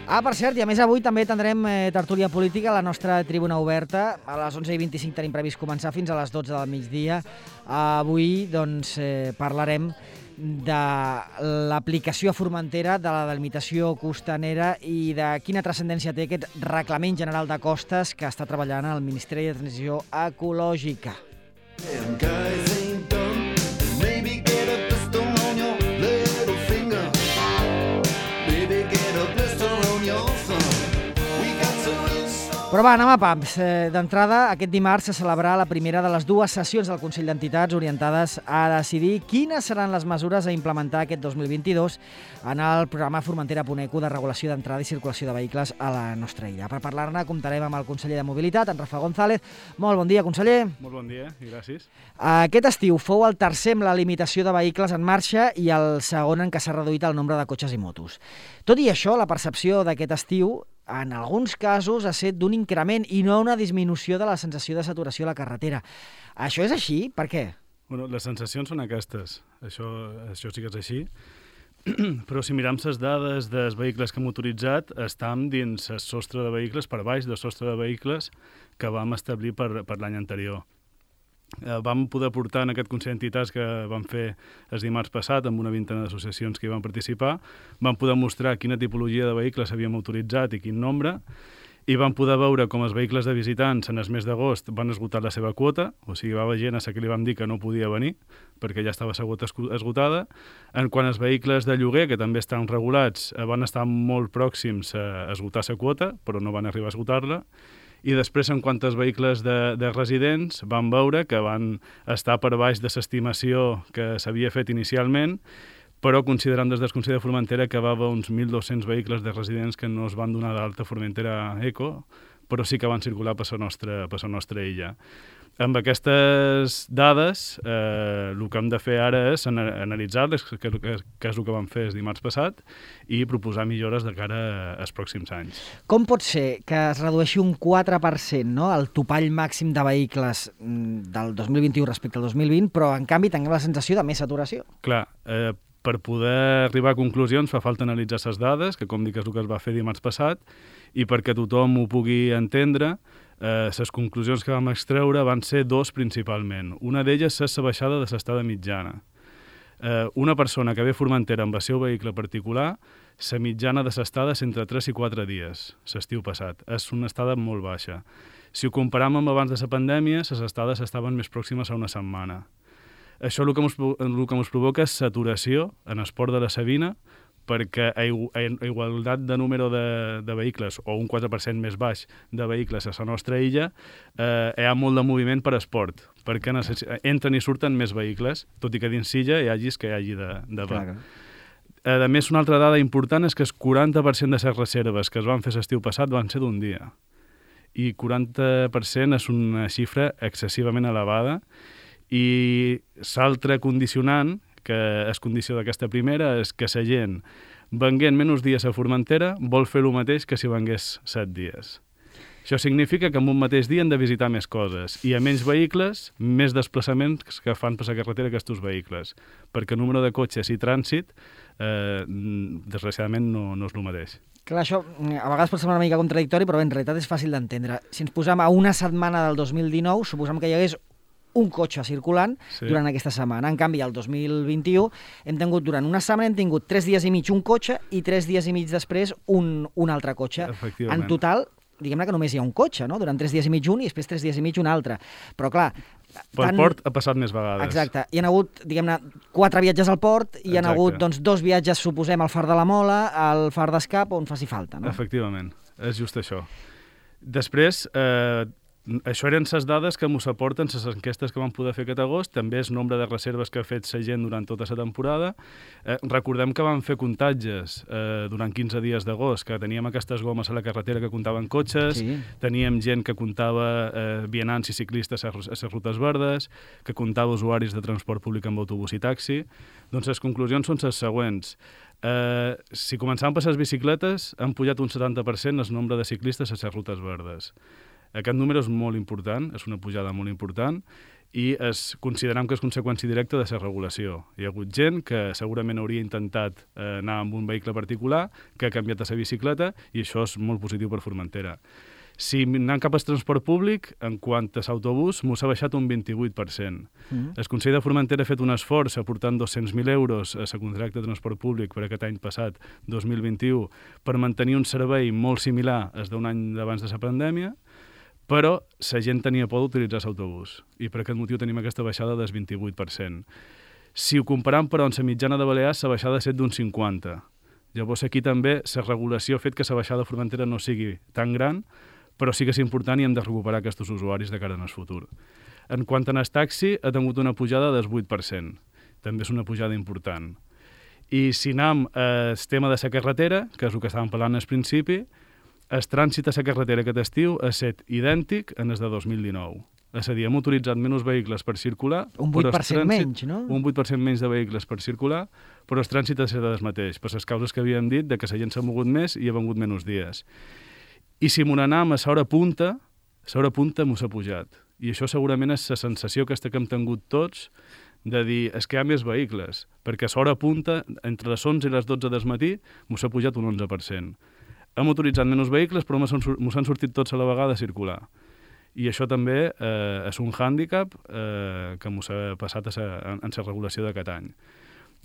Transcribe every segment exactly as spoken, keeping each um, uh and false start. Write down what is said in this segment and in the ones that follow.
Ah, per cert, i a més avui també tindrem eh, tertúlia política a la nostra tribuna oberta. A les onze i vint-i-cinc tenim previst començar fins a les dotze del migdia. Avui doncs, eh, parlarem de l'aplicació a Formentera de la delimitació costanera i de quina transcendència té aquest reglament general de costes que està treballant el Ministeri de Transició Ecològica. Però va, anem a pams. D'entrada, aquest dimarts se celebrarà la primera de les dues sessions del Consell d'Entitats orientades a decidir quines seran les mesures a implementar aquest dos mil vint-i-dos en el programa Formentera.eco de regulació d'entrada i circulació de vehicles a la nostra illa. Per parlar-ne comptarem amb el conseller de Mobilitat, en Rafa González. Molt bon dia, conseller. Molt bon dia i gràcies. Aquest estiu fou el tercer amb la limitació de vehicles en marxa i el segon en què s'ha reduït el nombre de cotxes i motos. Tot i això, la percepció d'aquest estiu en alguns casos ha estat d'un increment i no una disminució de la sensació de saturació a la carretera. Això és així? Per què? Bueno, les sensacions són aquestes. Això, això sí que és així. Però si miram les dades dels vehicles que hem motoritzat, estem dins el sostre de vehicles, per baix del sostre de vehicles que vam establir per, per l'any anterior. Eh, vam poder portar en aquest Consell d'Entitats que vam fer el dimarts passat amb una vintena d'associacions que hi van participar, vam poder mostrar quina tipologia de vehicles havíem autoritzat i quin nombre, i vam poder veure com els vehicles de visitants en el mes d'agost van esgotar la seva quota, o sigui, va haver gent a la que li vam dir que no podia venir perquè ja estava la quota esgotada. En quant als vehicles de lloguer, que també estan regulats, van estar molt pròxims a esgotar la quota, però no van arribar a esgotar-la. I després, en quant als vehicles de, de residents, vam veure que van estar per baix de l'estimació que s'havia fet inicialment, però considerant des del Consell de Formentera que va haver uns mil dos-cents vehicles de residents que no es van donar d'alta Formentera Eco, però sí que van circular per la nostra, per la nostra illa. Amb aquestes dades, eh, el que hem de fer ara és analitzar-les, que, que, que és el que vam fer el dimarts passat, i proposar millores de cara als pròxims anys. Com pot ser que es redueixi un quatre per cent, no?, el topall màxim de vehicles del dos mil vint-i-u respecte al dos mil vint, però en canvi tinguem la sensació de més saturació? Clar, eh, per poder arribar a conclusions fa falta analitzar les dades, que com dic és el que es va fer dimarts passat, i perquè tothom ho pugui entendre, eh, les conclusions que vam extreure van ser dos principalment. Una d'elles és la baixada de l'estada mitjana. Eh, una persona que ve a Formentera amb el seu vehicle particular, la mitjana de l'estada és entre tres i quatre dies, l'estiu passat. És una estada molt baixa. Si ho comparam amb abans de la pandèmia, les estades estaven més pròximes a una setmana. Això el que ens, el que ens provoca és saturació en el port de la Sabina, perquè a igualtat de número de, de vehicles, o un quatre per cent més baix de vehicles a la nostra illa, eh, hi ha molt de moviment per esport, perquè entren i surten més vehicles, tot i que dins illa hi hagi que hi hagi de, de va. A més, una altra dada important és que el quaranta per cent de les reserves que es van fer l'estiu passat van ser d'un dia. I quaranta per cent és una xifra excessivament elevada, i l'altre condicionant, que és condició d'aquesta primera, és que la gent, venguent menys dies a Formentera, vol fer el mateix que si vengués set dies. Això significa que en un mateix dia han de visitar més coses, i a menys vehicles, més desplaçaments que fan per la carretera aquests vehicles, perquè el número de cotxes i trànsit, eh, desgraciadament, no, no és el mateix. Clar, això a vegades pot semblar una mica contradictori, però en realitat és fàcil d'entendre. Si ens posem a una setmana del dos mil dinou, suposem que hi hagués un cotxe circulant sí. durant aquesta setmana. En canvi, el dos mil vint-i-u hem tingut, durant una setmana, hem tingut tres dies i mig un cotxe i tres dies i mig després un, un altre cotxe. En total, diguem-ne que només hi ha un cotxe, no? Durant tres dies i mig un i després tres dies i mig un altre. Però clar... Pel tant... port ha passat més vegades. Exacte. Hi ha hagut, diguem-ne, quatre viatges al port, i hi ha hagut doncs, dos viatges, suposem, al Far de la Mola, al Far d'Escap, on faci falta, no? Efectivament, és just això. Després... Eh... Això eren les dades que ens aporten les enquestes que vam poder fer aquest agost, també el nombre de reserves que ha fet la gent durant tota la temporada. Eh, recordem que vam fer comptatges eh, durant quinze dies d'agost, que teníem aquestes gomes a la carretera que comptaven cotxes, sí. Teníem gent que comptava eh, vianants i ciclistes a les rutes verdes, que comptava usuaris de transport públic amb autobús i taxi. Doncs les conclusions són les següents. Eh, si començàvem per les bicicletes, han pujat un setanta per cent el nombre de ciclistes a les rutes verdes. Aquest número és molt important, és una pujada molt important, i es considerem que és conseqüència directa de la regulació. Hi ha hagut gent que segurament hauria intentat eh, anar amb un vehicle particular, que ha canviat a la bicicleta, i això és molt positiu per Formentera. Si anant cap al transport públic, en quant a l'autobús, m'ho s'ha baixat un vint-i-vuit per cent. Mm. El Consell de Formentera ha fet un esforç aportant dos-cents mil euros a la contracta de transport públic per aquest any passat, dos mil vint-i-u, per mantenir un servei molt similar al d'un any abans de la pandèmia, però la gent tenia por d'utilitzar l'autobús i per aquest motiu tenim aquesta baixada del vint-i-vuit per cent. Si ho comparem, però, amb la mitjana de Balears, la baixada ha estat d'un cinquanta per cent. Llavors aquí també la regulació ha fet que la baixada de Formentera no sigui tan gran, però sí que és important i hem de recuperar aquests usuaris de cara al futur. En quant al taxi, ha tingut una pujada del vuit per cent. També és una pujada important. I si anem al tema de la carretera, que és el que estàvem parlant al principi, el trànsit a la carretera aquest estiu ha estat idèntic en el de dos mil dinou. És a dir, hem utilitzat menys vehicles per circular... Un vuit per cent trànsit, menys, no? Un vuit per cent menys de vehicles per circular, però el trànsit ha estat el mateix, per les causes que havíem dit, de que la gent s'ha mogut més i ha vengut menys dies. I si m'ho anem a l'hora punta, l'hora punta m'ho s'ha pujat. I això segurament és la sensació aquesta que hem tingut tots de dir, és que hi ha més vehicles, perquè a l'hora punta, entre les onze i les dotze del matí, m'ho s'ha pujat un onze per cent. Hem utilitzat menys vehicles, però m'ho s'han sortit tots a la vegada a circular. I això també eh, és un hàndicap eh, que m'ho s'ha passat a sa, en la regulació d'aquest any.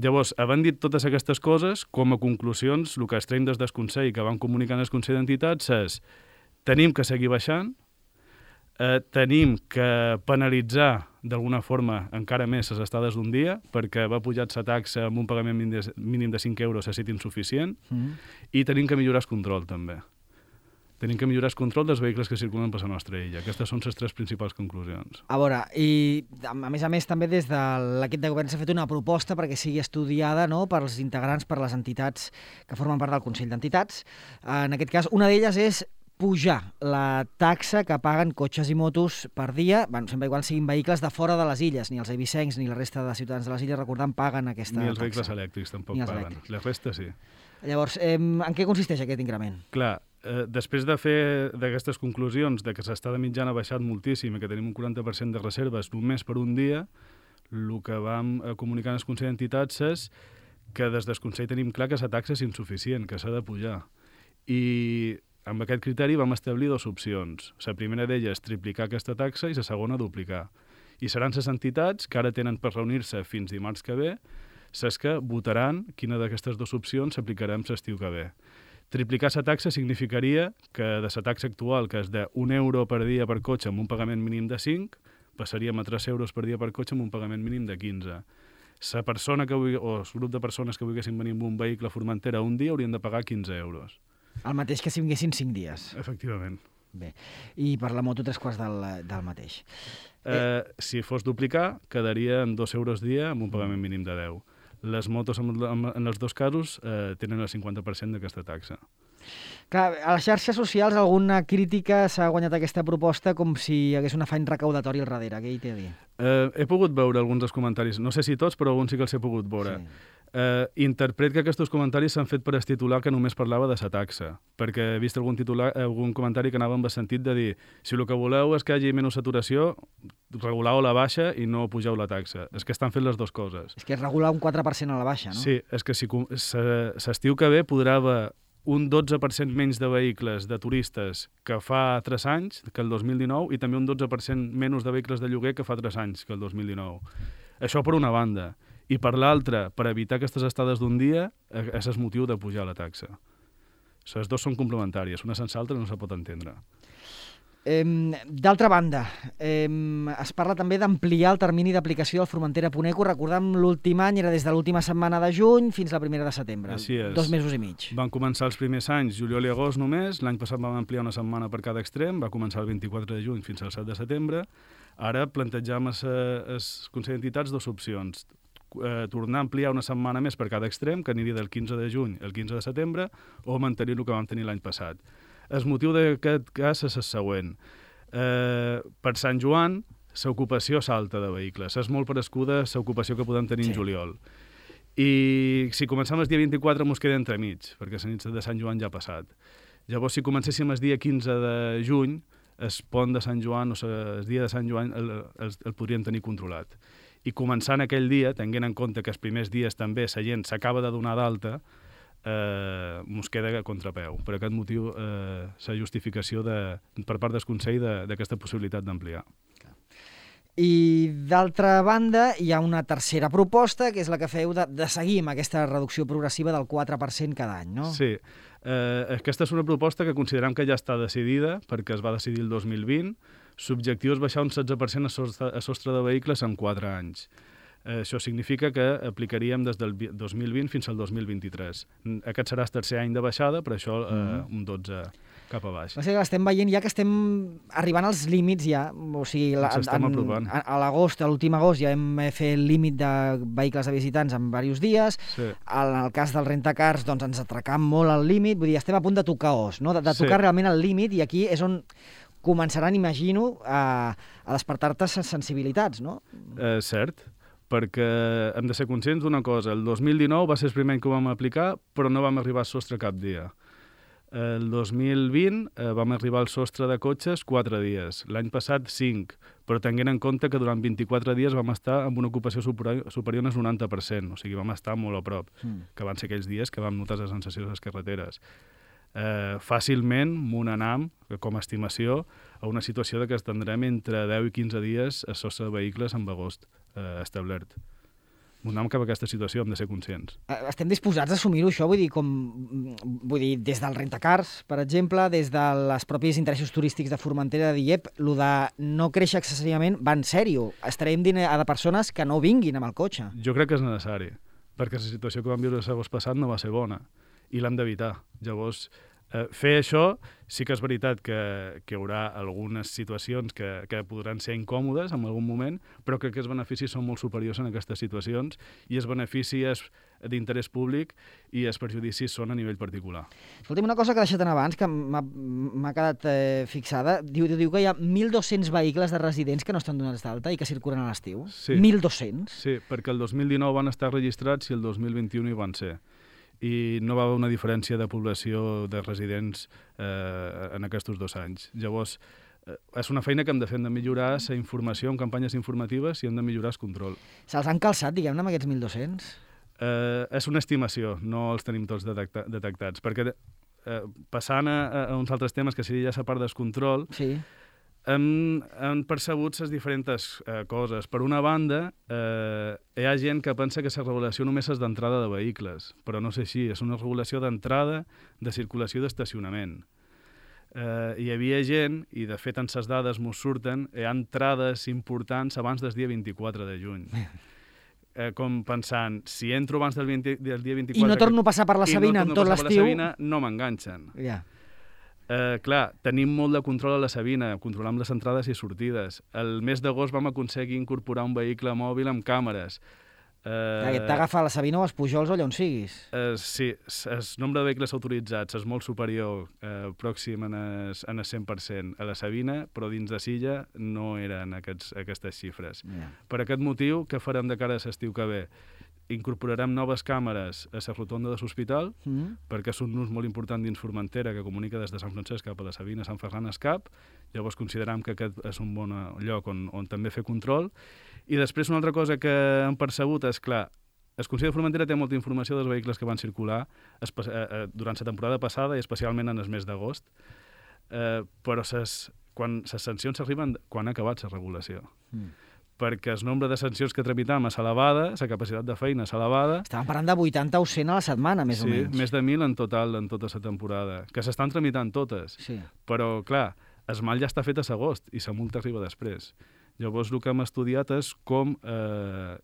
Llavors, havent dit totes aquestes coses, com a conclusions, el que extraiem des del Consell que van comunicar el Consell d'Entitats és tenim que seguir baixant, eh, tenim que penalitzar d'alguna forma encara més les estades d'un dia, perquè va pujar la taxa amb un pagament mínim de cinc euros ha estat insuficient, mm. i tenim que millorar el control també. Tenim que millorar el control dels vehicles que circulen per la nostra illa. Aquestes són les tres principals conclusions. A veure, i a més a més també des de l'equip de govern s'ha fet una proposta perquè sigui estudiada, no?, pels integrants, per les entitats que formen part del Consell d'Entitats. En aquest cas, una d'elles és pujar la taxa que paguen cotxes i motos per dia, bueno, sempre igual siguin vehicles de fora de les illes, ni els eivissencs ni la resta de ciutadans de les illes, recordant, paguen aquesta taxa. Ni els vehicles elèctrics tampoc paguen. Elèctrics. La resta sí. Llavors, eh, en què consisteix aquest increment? Clar, eh, després de fer d'aquestes conclusions de que l'estada mitjana ha baixat moltíssim i que tenim un quaranta per cent de reserves només per un dia, el que vam comunicar en el Consell d'Entitats és que des del Consell tenim clar que la taxa és insuficient, que s'ha de pujar. I amb aquest criteri vam establir dues opcions. La primera d'elles és triplicar aquesta taxa i la segona duplicar. I seran les entitats que ara tenen per reunir-se fins dimarts que ve, les que votaran quina d'aquestes dues opcions s'aplicarem l'estiu que ve. Triplicar la taxa significaria que de la taxa actual, que és d'un euro per dia per cotxe amb un pagament mínim de cinc, passaríem a tres euros per dia per cotxe amb un pagament mínim de quinze. La persona que vulgui, o el grup de persones que volguessin venir amb un vehicle a Formentera un dia haurien de pagar quinze euros. El mateix que si vinguessin cinc dies. Efectivament. Bé, i per la moto tres quarts del, del mateix. Eh, eh... Si fos duplicar, quedaria en dos euros dia amb un pagament mínim de deu. Les motos, en, en els dos casos, eh, tenen el cinquanta per cent d'aquesta taxa. Clar, a les xarxes socials alguna crítica s'ha guanyat aquesta proposta com si hi hagués un afany recaudatori al darrere. Què hi té a dir? Eh, he pogut veure alguns dels comentaris, no sé si tots, però alguns sí que els he pogut veure. Sí. Eh, interpret que aquests comentaris s'han fet per el titular que només parlava de la taxa, perquè he vist algun, titular, algun comentari que anava en el sentit de dir si el que voleu és que hi hagi menys saturació, regulau la baixa i no pugeu la taxa. És que estan fent les dues coses. És que és regular un quatre per cent a la baixa, no? Sí, és que si l'estiu que ve podrà haver un dotze per cent menys de vehicles de turistes que fa tres anys, que el dos mil dinou, i també un dotze per cent menys de vehicles de lloguer que fa tres anys, que el dos mil dinou. Això per una banda. I per l'altra, per evitar aquestes estades d'un dia, és el motiu de pujar la taxa. Les dues són complementàries, una sense l'altra no se pot entendre. Eh, D'altra banda, eh, es parla també d'ampliar el termini d'aplicació del Formentera punt eco. Recordem, l'últim any era des de l'última setmana de juny fins la primera de setembre. Així és. Dos mesos i mig. Van començar els primers anys, juliol i agost només. L'any passat vam ampliar una setmana per cada extrem. Va començar el vint-i-quatre de juny fins al set de setembre. Ara plantejam al Consell d'Entitats dues opcions. Eh, tornar a ampliar una setmana més per cada extrem, que aniria del quinze de juny al quinze de setembre, o mantenir el que vam tenir l'any passat. El motiu d'aquest cas és el següent. Eh, per Sant Joan, l'ocupació salta de vehicles. És molt parescuda l'ocupació que podem tenir sí. en juliol. I si comencem el dia vint-i-quatre mos queda entremig, perquè la nit de Sant Joan ja ha passat. Llavors, si comencéssim el dia quinze de juny, el pont de Sant Joan o el dia de Sant Joan el, el, el podrien tenir controlat. I començant aquell dia, tenint en compte que els primers dies també la gent s'acaba de donar d'alta, eh, mos queda a contrapeu. Per aquest motiu, eh, la justificació de, per part del Consell d'aquesta de, possibilitat d'ampliar. I d'altra banda, hi ha una tercera proposta, que és la que feu de, de seguir amb aquesta reducció progressiva del quatre per cent cada any, no? Sí. Eh, aquesta és una proposta que considerem que ja està decidida, perquè es va decidir el dos mil vint. L'objectiu és baixar un setze per cent a sostre, a sostre de vehicles en quatre anys. Eh, això significa que aplicaríem des del dos mil vint fins al dos mil vint-i-tres. Aquest serà el tercer any de baixada, per això eh, mm. un dotze cap a baix. O sigui, estem veient ja que estem arribant als límits ja, o sigui, la, en, en, a, a l'agost, a l'últim agost ja hem fet el límit de vehicles de visitants en diversos dies. Sí. En el cas del rentacars, doncs ens atracam molt al límit, vull dir, estem a punt de tocar os, no? de, de tocar sí. realment el límit, i aquí és on començaran, imagino, a, a despertar-te sensibilitats, no? Eh, cert, perquè hem de ser conscients d'una cosa. El dos mil dinou va ser el primer any que ho vam aplicar, però no vam arribar al sostre cap dia. El dos mil vint eh, vam arribar al sostre de cotxes quatre dies, l'any passat cinc, però tenint en compte que durant vint-i-quatre dies vam estar amb una ocupació superior, superior al noranta per cent, o sigui, vam estar molt a prop, mm. que van ser aquells dies que vam notar les sensacions a les carreteres. Eh, fàcilment m'onanam, com a estimació, a una situació de que estendrem entre deu i quinze dies a sostre de vehicles amb agost eh, establert. M'onam cap a aquesta situació, hem de ser conscients. Estem disposats a assumir-ho, això? Vull dir, com, vull dir, des del rentacars, per exemple, des dels propis interessos turístics de Formentera, de dir, ep, lo de no créixer excessivament va en sèrio. Estarem dient a de persones que no vinguin amb el cotxe. Jo crec que és necessari, perquè la situació que vam viure l'agost passat no va ser bona, i l'hem d'evitar. Llavors, eh, fer això sí que és veritat que, que hi haurà algunes situacions que, que podran ser incòmodes en algun moment, però crec que els beneficis són molt superiors en aquestes situacions, i els beneficis d'interès públic i els perjudicis són a nivell particular. Escolta'm, una cosa que he deixat en abans, que m'ha quedat eh, fixada, diu, diu que hi ha mil dos-cents vehicles de residents que no estan donats d'alta i que circulen a l'estiu. Sí. mil dos-cents? Sí, perquè el dos mil dinou van estar registrats i el dos mil vint-i-u hi van ser. I no va haver una diferència de població de residents eh, en aquests dos anys. Llavors, eh, és una feina que hem de fer, hem de millorar la informació en campanyes informatives i hem de millorar el control. Se'ls han calçat, diguem-ne, amb aquests mil dos-cents? Eh, és una estimació, no els tenim tots detecta detectats, perquè eh, passant a, a uns altres temes, que seria ja la part del control, sí. Hem, hem percebut les diferents eh, coses. Per una banda, eh, hi ha gent que pensa que la regulació només és d'entrada de vehicles, però no és així, és una regulació d'entrada, de circulació i d'estacionament. Eh, hi havia gent, i de fet en les dades mos surten, hi ha entrades importants abans del dia vint-i-quatre de juny. Eh, com pensant, si entro abans del, vint, del dia vint-i-quatre... I no torno a passar per la Sabina no en tot l'estiu... no m'enganxen. Ja. Yeah. Eh, clar, tenim molt de control a la Sabina, controlam les entrades i sortides. El mes d'agost vam aconseguir incorporar un vehicle mòbil amb càmeres. Eh, T'agafa a la Sabina o als Pujols o allà on siguis. Eh, sí, el nombre de vehicles autoritzats és molt superior, eh, pròxim en el, en el cent per cent a la Sabina, però dins de Silla no eren aquests, aquestes xifres. Yeah. Per aquest motiu, què farem de cara a l'estiu que ve? Incorporarem noves càmeres a la rotonda de l'hospital, mm. perquè és un ús molt important dins Formentera, que comunica des de Sant Francesc cap a la Sabina, Sant Ferran Escap. Llavors considerem que aquest és un bon lloc on, on també fer control. I després una altra cosa que hem percebut és, clar, el Consell de Formentera té molta informació dels vehicles que van circular durant la temporada passada i especialment en el mes d'agost, eh, però ses, quan les sancions arriben quan ha acabat la regulació. Mm. perquè el nombre de sancions que tramitam és elevada, la capacitat de feina és elevada. Estàvem parlant de vuitanta o cent a la setmana, més sí, o menys. Sí, més de mil en total en tota la temporada, que s'estan tramitant totes. Sí. Però, clar, el mal ja està fet a l'agost i la multa arriba després. Llavors, el que hem estudiat és com eh,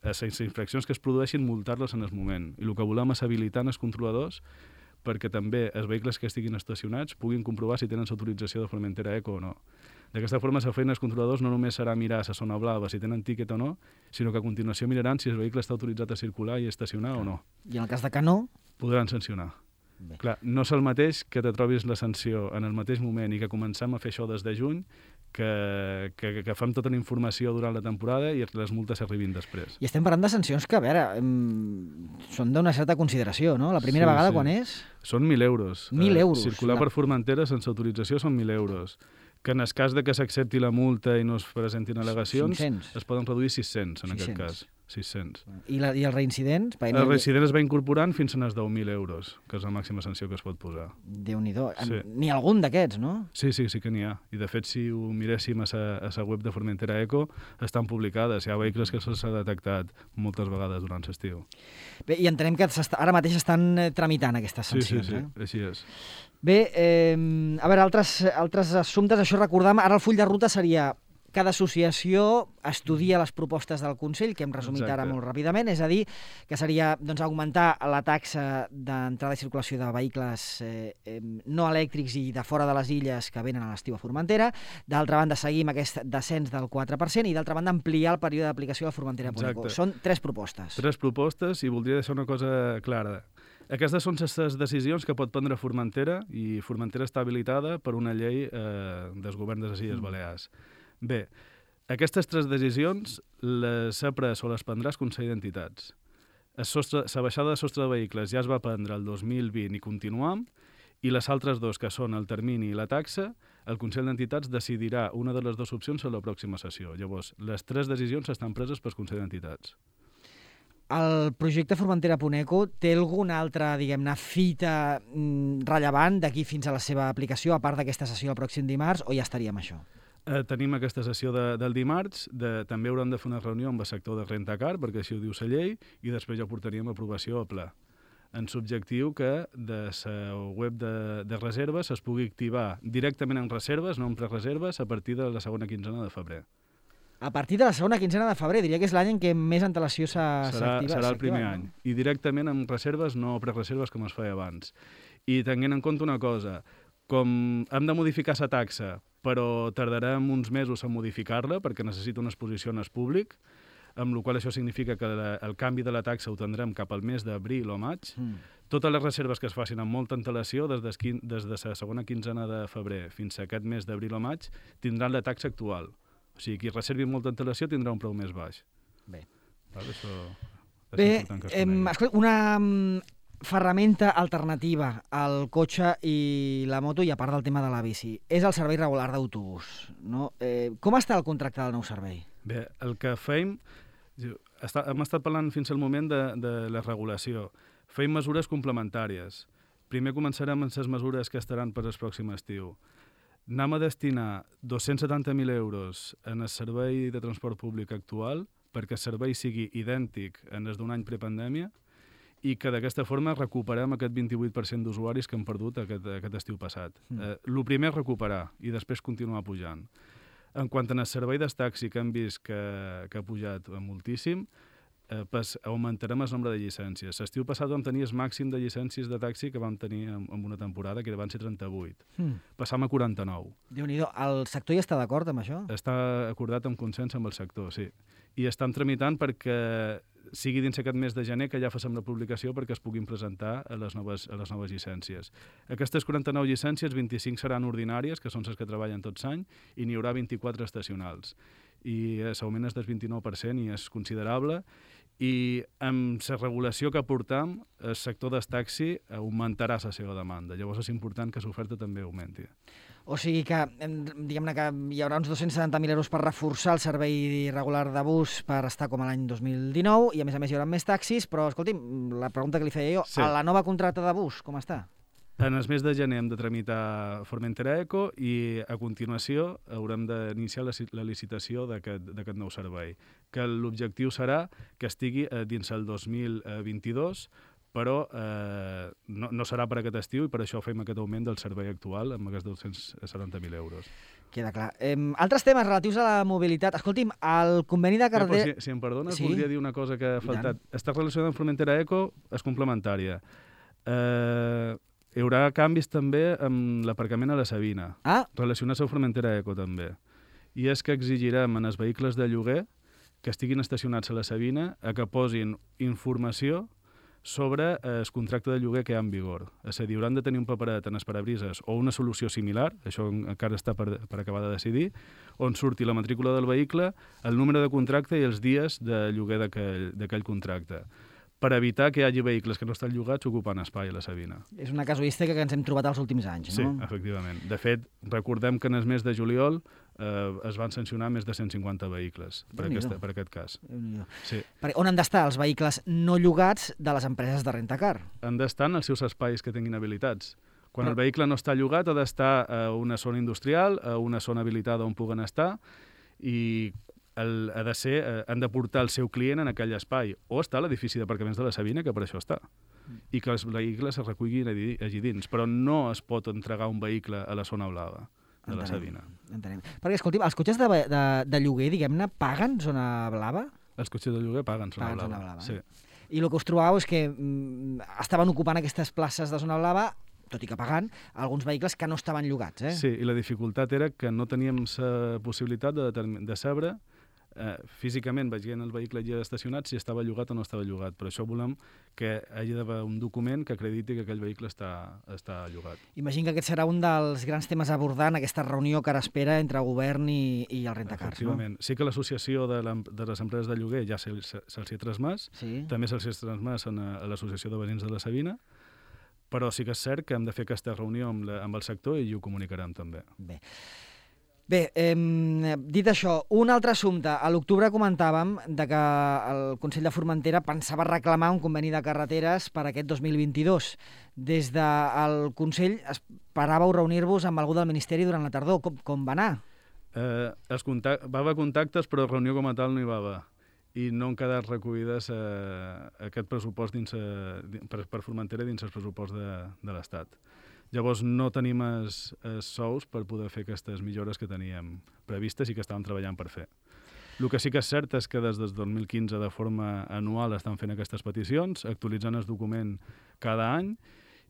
les infraccions que es produeixin multar-les en el moment. I el que volem és habilitar els controladors perquè també els vehicles que estiguin estacionats puguin comprovar si tenen l'autorització de Formentera Eco o no. D'aquesta forma, la feina dels controladors no només serà mirar a la zona blava si tenen tíquet o no, sinó que a continuació miraran si el vehicle està autoritzat a circular i estacionar o no. I en el cas de que no? Podran sancionar. Bé. Clar, no és el mateix que te trobis la sanció en el mateix moment i que comencem a fer això des de juny que, que, que fem tota la informació durant la temporada i les multes arribin després. I estem parlant de sancions que, a veure, em, són d'una certa consideració, no? La primera sí, vegada sí. quan és? Són mil euros. Mil euros. Eh, circular la... per Formentera sense autorització són mil euros. Que en el cas de que s'accepti la multa i no es presentin al·legacions, cinc-cents. es poden reduir sis-cents en sis-cents. aquest cas. sis-cents. I, la, i els reincidents? El reincident es va incorporant fins a les deu mil euros, que és la màxima sanció que es pot posar. Déu-n'hi-do. Sí. N'hi ha algun d'aquests, no? Sí, sí, sí que n'hi ha. I de fet, si ho miréssim a la web de Formentera Eco, estan publicades. Hi ha vehicles que se'ls ha detectat moltes vegades durant l'estiu. Bé, i entenem que ara mateix estan tramitant aquestes sancions. Sí, sí, sí, eh? així és. Bé, eh, a veure, altres, altres assumptes, això recordam, ara el full de ruta seria cada associació estudia les propostes del Consell, que hem resumit Exacte. ara molt ràpidament, és a dir, que seria doncs, augmentar la taxa d'entrada i circulació de vehicles eh, eh, no elèctrics i de fora de les illes que venen a l'estiu a Formentera, d'altra banda seguir amb aquest descens del quatre per cent i d'altra banda ampliar el període d'aplicació de Formentera.eco. Són tres propostes. Tres propostes i voldria deixar una cosa clara. Aquestes són les decisions que pot prendre Formentera i Formentera està habilitada per una llei eh, dels governs de les Illes Balears. Bé, aquestes tres decisions les ha pres o les prendrà el Consell d'Entitats. La baixada de sostre de vehicles ja es va prendre el dos mil vint i continuam, i les altres dos, que són el termini i la taxa, el Consell d'Entitats decidirà una de les dues opcions a la pròxima sessió. Llavors, les tres decisions estan preses pel Consell d'Entitats. El projecte Formentera.eco té alguna altra, diguem-ne, fita mm, rellevant d'aquí fins a la seva aplicació, a part d'aquesta sessió el pròxim dimarts, o ja estaríem això? Eh, tenim aquesta sessió de, del dimarts, de, també haurem de fer una reunió amb el sector de Rentacar, perquè així ho diu la llei, i després ja portaríem aprovació a ple. En l'objectiu que de la web de, de reserves es pugui activar directament en reserves, no en prereserves, a partir de la segona quinzena de febrer. A partir de la segona quinzena de febrer, diria que és l'any en què més antelació s'activa. Serà, serà el primer any. No? I directament en reserves, no prereserves com es feia abans. I tenint en compte una cosa, com hem de modificar la taxa, però tardarem uns mesos a modificar-la perquè necessita una exposició en el públic, amb la qual això significa que la, el canvi de la taxa ho tindrem cap al mes d'abril o maig. Mm. Totes les reserves que es facin amb molta antelació, des de, des de la segona quinzena de febrer fins a aquest mes d'abril o maig, tindran la taxa actual. O sigui, qui reservi amb molta antelació tindrà un preu més baix. Bé. Vale, això, això Bé, és que eh, escolta, una ferramenta alternativa al cotxe i la moto, i a part del tema de la bici, és el servei regular d'autobús. No? Eh, com està el contracte del nou servei? Bé, el que feim... Està, hem estat parlant fins al moment de, de la regulació. Feim mesures complementàries. Primer començarem amb les mesures que estaran per al pròxim estiu. Anem a destinar dos-cents setanta mil euros en el servei de transport públic actual perquè el servei sigui idèntic en el d'un any prepandèmia i que d'aquesta forma recuperem aquest vint-i-vuit per cent d'usuaris que han perdut aquest, aquest estiu passat. Mm. Eh, el primer és recuperar i després continuar pujant. En quant al servei del taxi que hem vist que, que ha pujat moltíssim, eh, pues, augmentarem el nombre de llicències. L'estiu passat vam tenir el màxim de llicències de taxi que vam tenir en, en una temporada, que van ser trenta-vuit. Mm. Passam a quaranta-nou. Déu-n'hi-do, el sector ja està d'acord amb això? Està acordat amb consens amb el sector, sí. I estan tramitant perquè sigui dins aquest mes de gener que ja facem la publicació perquè es puguin presentar a les noves, a les noves llicències. Aquestes quaranta-nou llicències, vint-i-cinc seran ordinàries, que són les que treballen tots l'any, i n'hi haurà vint-i-quatre estacionals. I l'augment és del vint-i-nou per cent i és considerable. I amb la regulació que portam, el sector del taxi augmentarà la seva demanda. Llavors és important que l'oferta també augmenti. O sigui que, diguem-ne que hi haurà uns dos-cents setanta mil euros per reforçar el servei regular de bus per estar com a l'any dos mil dinou, i a més a més hi haurà més taxis, però escolti'm, la pregunta que li feia jo, sí. A la nova contracta de bus, com està? En el mes de gener hem de tramitar Formentera.eco i a continuació haurem d'iniciar la, la licitació d'aquest nou servei, que l'objectiu serà que estigui eh, dins el dos mil vint-i-dos, però eh, no, no serà per aquest estiu i per això fem aquest augment del servei actual amb aquests dos-cents setanta mil euros. Queda clar. Eh, altres temes relatius a la mobilitat. Escolti'm, el conveni de Carder... Eh, si, si em perdones, sí? voldria dir una cosa que ha faltat. Està relacionada amb Formentera.eco, és complementària. Eh... Hi haurà canvis també amb l'aparcament a la Sabina, ah. relacionats amb Formentera.eco també. I és que exigirem en els vehicles de lloguer que estiguin estacionats a la Sabina a que posin informació sobre el contracte de lloguer que hi ha en vigor. És a dir, hauran de tenir un paperet en els parabrises o una solució similar, això encara està per, per acabar de decidir, on surti la matrícula del vehicle, el número de contracte i els dies de lloguer d'aquell contracte, per evitar que hi hagi vehicles que no estan llogats ocupant espai a la Sabina. És una casuística que ens hem trobat els últims anys, no? Sí, efectivament. De fet, recordem que en el mes de juliol eh, es van sancionar més de cent cinquanta vehicles per, aquesta, per aquest cas. Sí. On han d'estar els vehicles no llogats de les empreses de rentacar? Han d'estar en els seus espais que tinguin habilitats. Quan Però... el vehicle no està llogat, ha d'estar a una zona industrial, a una zona habilitada on puguen estar, i el, ha de ser, eh, han de portar el seu client en aquell espai, o està a l'edifici d'aparcaments de la Sabina, que per això està, i que els vehicles es recullin allí, allí dins, però no es pot entregar un vehicle a la zona blava de entenem, la Sabina. Entenem. Perquè, escolti, els cotxes de, de, de lloguer, diguem-ne, paguen zona blava? Els cotxes de lloguer paguen zona paguen blava, zona blava sí. Eh? I el que us trobàveu és que mm, estaven ocupant aquestes places de zona blava, tot i que pagant, alguns vehicles que no estaven llogats. Eh? Sí, i la dificultat era que no teníem la possibilitat de, de saber eh, físicament, veient el vehicle allà estacionat, si estava llogat o no estava llogat. Per això volem que hagi d'haver un document que acrediti que aquell vehicle està, està llogat. Imagino que aquest serà un dels grans temes a abordar en aquesta reunió que ara espera entre el govern i, i el rentacars. Efectivament. No? Sí que l'associació de, de les empreses de lloguer ja se'ls se, se ha transmès, sí. També se'ls ha transmès a, a l'associació de veïns de la Sabina, però sí que és cert que hem de fer aquesta reunió amb, la, amb el sector i ho comunicarem també. Bé, Bé eh, dit això, un altre assumpte. A l'octubre comentàvem de que el Consell de Formentera pensava reclamar un conveni de carreteres per aquest dos mil vint-i-dos. Des del Consell esperàveu reunir-vos amb algú del Ministeri durant la tardor. Com, com va anar? Eh, els contact... Va haver contactes, però reunió com a tal no hi va haver. I no han quedat recollides eh, aquest pressupost dins, eh, per, per Formentera dins el pressupost de, de l'Estat. Llavors no tenim els, els sous per poder fer aquestes millores que teníem previstes i que estàvem treballant per fer. El que sí que és cert és que des del dos mil quinze de forma anual estan fent aquestes peticions, actualitzant el document cada any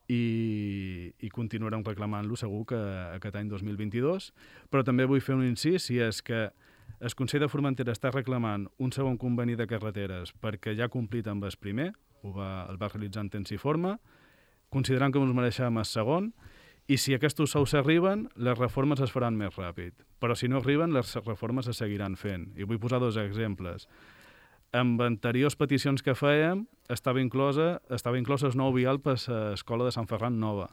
i, i continuarem reclamant-lo segur que aquest any dos mil vint-i-dos, però també vull fer un incís, i és que el Consell de Formentera està reclamant un segon conveni de carreteres perquè ja ha complit amb el primer, ho va, el va realitzar en temps i forma, considerant que ens mereixem el segon, i si aquests sous arriben, les reformes es faran més ràpid. Però si no arriben, les reformes es seguiran fent. I vull posar dos exemples. Amb anteriors peticions que fèiem, estava inclosa, estava inclosa el nou vial per l'escola de Sant Ferran Nova.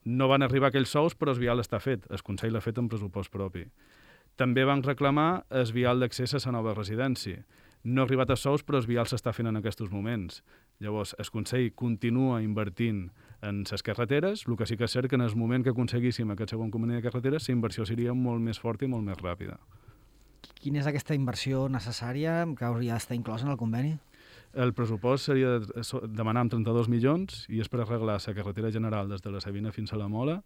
No van arribar aquells sous, però el vial està fet. El Consell l'ha fet en pressupost propi. També van reclamar el vial d'accés a la nova residència. No ha arribat a sous, però el vial s'està fent en aquests moments. Llavors, el Consell continua invertint en les carreteres, el que sí que és cert que en el moment que aconseguíssim aquest segon conveni de carreteres, la inversió seria molt més forta i molt més ràpida. Quina és aquesta inversió necessària que hauria d'estar inclosa en el conveni? El pressupost seria de demanar amb trenta-dos milions i és per arreglar la carretera general des de la Sabina fins a la Mola,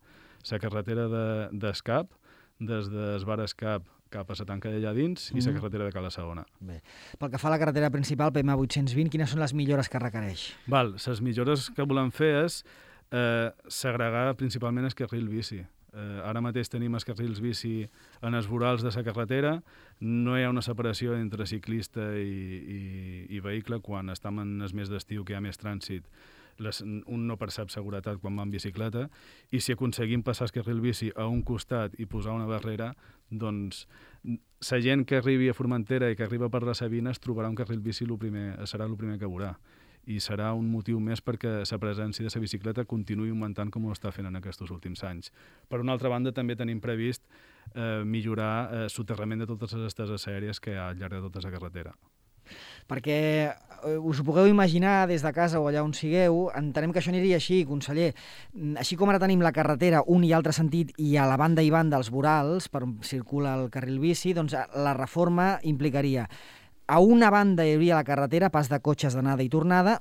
la carretera d'Escap, des del bar Escap cap a la tanca d'allà dins i la carretera de Cala Segona. Bé. Pel que fa a la carretera principal, P M vuit-cents vint, quines són les millores que requereix? Val, les millores que volem fer és eh, segregar principalment el carril bici. Eh, ara mateix tenim els carrils bici en els vorals de la carretera, no hi ha una separació entre ciclista i, i, i vehicle quan estem en el mes d'estiu, que hi ha més trànsit. Les, un no percep seguretat quan va en bicicleta, i si aconseguim passar el carril bici a un costat i posar una barrera, doncs la gent que arribi a Formentera i que arriba per la Sabina es trobarà un carril bici, lo primer, serà el primer que veurà, i serà un motiu més perquè la presència de la bicicleta continuï augmentant com ho està fent en aquests últims anys. Per una altra banda, també tenim previst eh, millorar el eh, soterrament de totes les esteses aèries que hi ha al llarg de tota la carretera. Perquè eh, us ho pugueu imaginar des de casa o allà on sigueu, entenem que això aniria així, conseller. Així com ara tenim la carretera un i altre sentit i a la banda i banda els vorals per on circula el carril bici, doncs la reforma implicaria a una banda hi hauria la carretera, pas de cotxes d'anada i tornada,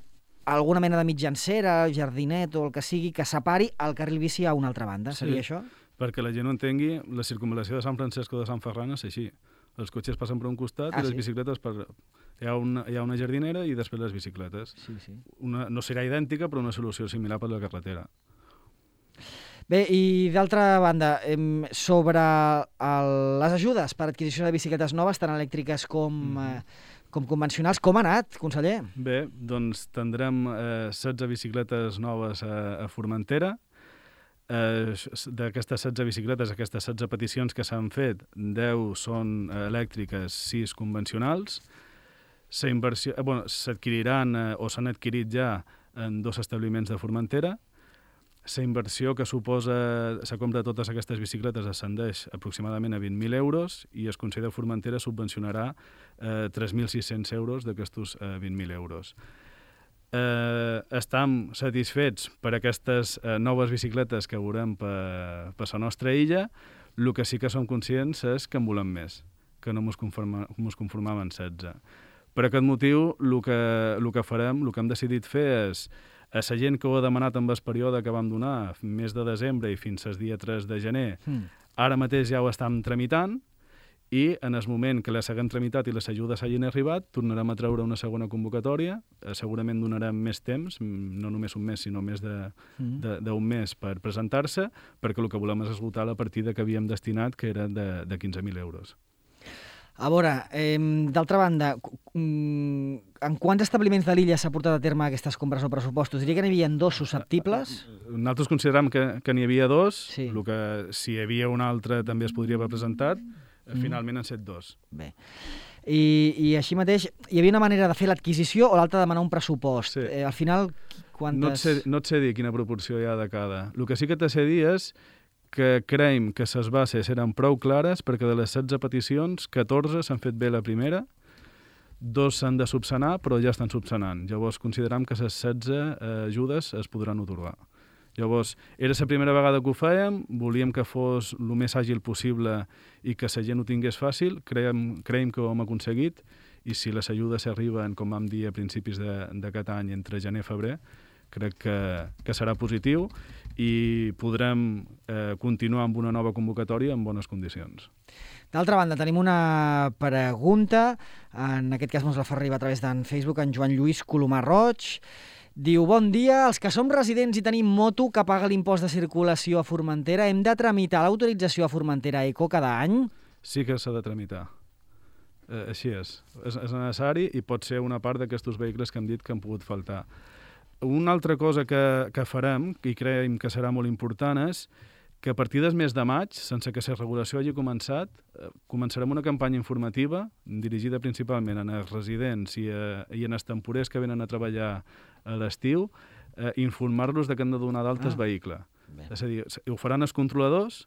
alguna mena de mitjancera, jardinet o el que sigui que separi el carril bici a una altra banda. Seria sí, això? Perquè la gent ho entengui, la circunvalació de Sant Francesco de Sant Ferran és així. Els cotxes passen per un costat ah, i les sí? bicicletes per... Hi ha, una, hi ha una jardinera i després les bicicletes. Sí, sí. Una, no serà idèntica, però una solució similar per la carretera. Bé, i d'altra banda, sobre el, les ajudes per adquisició de bicicletes noves, tant elèctriques com, mm. eh, com convencionals. Com ha anat, conseller? Bé, doncs tindrem eh, setze bicicletes noves a, a Formentera. Eh, d'aquestes setze bicicletes, aquestes setze peticions que s'han fet, deu són elèctriques, sis convencionals. Inversió, eh, bueno, s'adquiriran eh, o s'han adquirit ja en dos establiments de Formentera. La inversió que suposa la compra de totes aquestes bicicletes ascendeix aproximadament a vint mil euros i el Consell de Formentera subvencionarà eh, tres mil sis-cents euros d'aquestos eh, vint mil euros. Eh, estem satisfets per aquestes eh, noves bicicletes que veurem per, per la nostra illa. El que sí que som conscients és que en volem més, que no ens conforma, conformàvem en setze. Per aquest motiu, el que, el que farem, el que hem decidit fer és a la gent que ho ha demanat en el període que vam donar, mes de desembre i fins al dia tres de gener, mm. ara mateix ja ho estem tramitant i en el moment que les haguem tramitat i les ajudes hagin arribat, tornarem a treure una segona convocatòria, eh, segurament donarem més temps, no només un mes, sinó més d'un mm. mes per presentar-se, perquè el que volem és esgotar la partida que havíem destinat, que era de, de quinze mil euros. A veure, eh, d'altra banda, en quants establiments de l'illa s'ha portat a terme aquestes compres o pressupostos? Diria que n'hi havia dos susceptibles. Nosaltres considerem que, que n'hi havia dos, sí. El que si hi havia un altre també es podria haver presentat, mm. finalment han set dos. Bé. I, I així mateix, hi havia una manera de fer l'adquisició o l'altra de demanar un pressupost. Sí. Eh, al final, quantes... No et, sé, no et sé dir quina proporció hi ha de cada. El que sí que te sé dir és que creiem que les bases eren prou clares perquè de les setze peticions, catorze s'han fet bé la primera, dos s'han de subsanar, però ja estan subsanant. Llavors considerem que les setze eh, ajudes es podran otorgar. Llavors, era la primera vegada que ho fèiem, volíem que fos el més àgil possible i que la gent ho tingués fàcil, creiem, creiem que ho hem aconseguit, i si les ajudes arriben, com vam dir a principis d'aquest any, entre gener i febrer, crec que, que serà positiu i podrem eh, continuar amb una nova convocatòria en bones condicions. D'altra banda, tenim una pregunta, en aquest cas ens la fa arribar a través d'en Facebook, en Joan Lluís Colomar Roig. Diu, bon dia, els que som residents i tenim moto que paga l'impost de circulació a Formentera, hem de tramitar l'autorització a Formentera Eco cada any? Sí que s'ha de tramitar. Eh, així és. és. És necessari i pot ser una part d'aquests vehicles que hem dit que han pogut faltar. Una altra cosa que, que farem, i creiem que serà molt important, és que a partir del mes de maig, sense que la regulació hagi començat, eh, començarem una campanya informativa dirigida principalment a residents i, a, i en els temporers que venen a treballar a l'estiu, eh, informar-los que han de donar d'altes ah, vehicle. Bé. És a dir, ho faran els controladors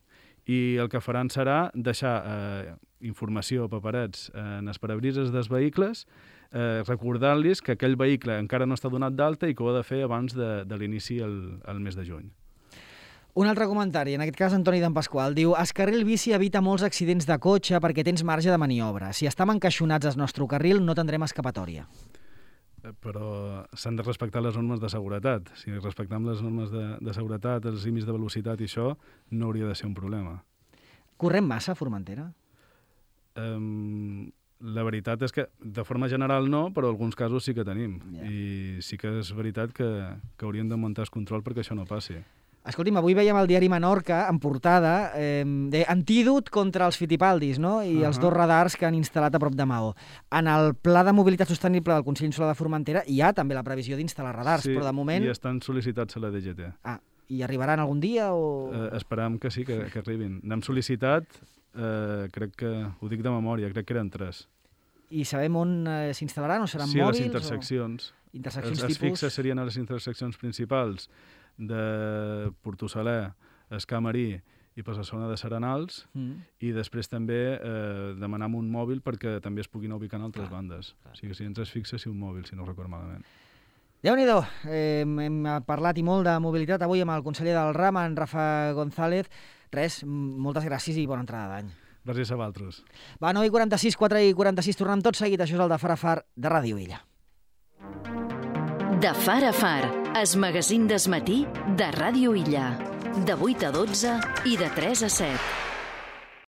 i el que faran serà deixar eh, informació, paperets, eh, en els parabrises dels vehicles, eh, recordant-los que aquell vehicle encara no està donat d'alta i que ho ha de fer abans de, de l'inici el, el mes de juny. Un altre comentari, en aquest cas Antoni d'en Pasqual, diu el carril bici evita molts accidents de cotxe perquè tens marge de maniobra. Si estem encaixonats al nostre carril no tindrem escapatòria. Però s'han de respectar les normes de seguretat. Si respectem les normes de, de seguretat, els límits de velocitat i això, no hauria de ser un problema. Correm massa a Formentera? Um, la veritat és que, de forma general no, però en alguns casos sí que tenim. Yeah. I sí que és veritat que, que hauríem de muntar el control perquè això no passi. Escolti'm, avui veiem al diari Menorca, en portada, eh, de antídot contra els fitipaldis, no? I uh-huh. els dos radars que han instal·lat a prop de Maó. En el Pla de Mobilitat Sostenible del Consell Insular de Formentera hi ha també la previsió d'instal·lar radars, sí, però de moment... i estan sol·licitats a la D G T. Ah, i arribaran algun dia o...? Eh, esperam que sí, que, que arribin. N'hem sol·licitat, eh, crec que, ho dic de memòria, crec que eren tres. I sabem on eh, s'instal·laran o seran sí, mòbils? Sí, a les interseccions. O... Interseccions els, tipus... els fixes serien a les interseccions principals de Portosaler, Escamarí i per la zona de Serenals, mm. i després també eh, demanar un mòbil perquè també es puguin ubicar en altres clar, bandes. Clar. O sigui, si ens es fixa, si un mòbil, si no recordo malament. Déu-n'hi-do, eh, hem parlat i molt de mobilitat avui amb el conseller del RAM, en Rafa González. Res, moltes gràcies i bona entrada d'any. Gràcies a vosaltres. Va, nou i quaranta-sis, quatre i quaranta-sis, tornem tot seguit. Això és el de Far a Far de Ràdio Illa. De Far a Far, es magazín d'esmatí de Ràdio Illa. De vuit a dotze i de tres a set.